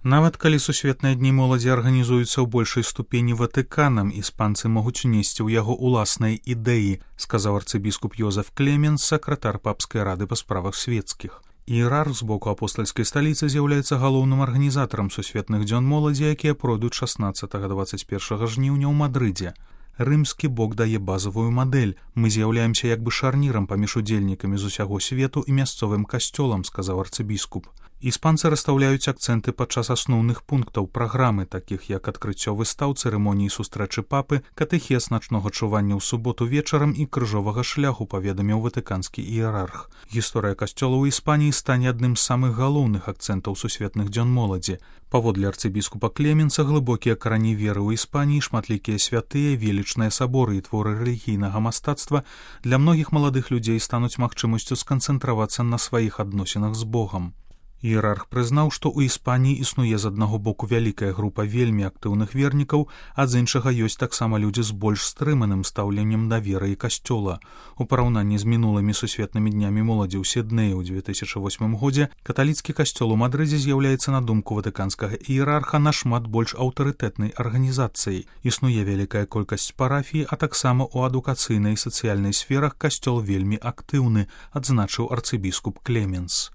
Нават калі сусветныя дні моладзі арганізуюцца ў большай ступені Ватыканам, іспанцы могуць унесці ў яго ўласныя ідэі, сказаў арцыбіскуп Йозеф Клеменс, сакратар папскай рады па справах свецкіх. Іерарх з боку апостальскай сталіцы з'яўляецца галоўным арганізатарам сусветных дзён моладзі, якія пройдуць 16-21 жніўня ў Мадрыдзе. Рымскі бок дае базавую мадэль. Мы з'яўляемся як бы шарнірам паміж удзельнікамі з усяго свету і мясцовым касцёлам, сказаў арцыбіскуп. Іспанцы расстаўляюць акцэнты падчас асноўных пунктаў праграмы, такіх як адкрыццё выстаў, цырымоніі сустрэчы папы, катэхез начнога чування ў суботу вечарам і крыжовага шляху, паведаміў ватыканскі іерарх. Гісторыя касцёла ў Іспаніі стане адным з самых галоўных акцэнтаў сусветных дзён моладзі. Паводле арцыбіскупа Клеменса, глыбокія карані веры ў Іспаніі, шматлікія святыя, велічныя саборы і творы рэлігійнага мастацтва для многіх маладых людзей стануць магчымасцю сканцэнтравацца на сваіх адносінах з Богам. Іерарх прызнаў, што ў Іспаніі існуе з аднаго боку вялікая група вельмі актыўных вернікаў, а з іншага ёсць таксама людзі з больш стрыманым стаўленнем да веры і касцёла. У параўнанні з мінулымі сусветнымі днямі моладзі ў Сіднеі ў 2008 годзе каталіцкі касцёл у Мадрыдзе з'яўляецца, на думку ватыканскага іерарха, нашмат больш аўтарытэтнай арганізацыяй. Існуе вялікая колькасць парафій, а таксама ў адукацыйнай і сацыяльнай сферах касцёл вельмі актыўны, адзначыў арцыбіскуп Клеменс.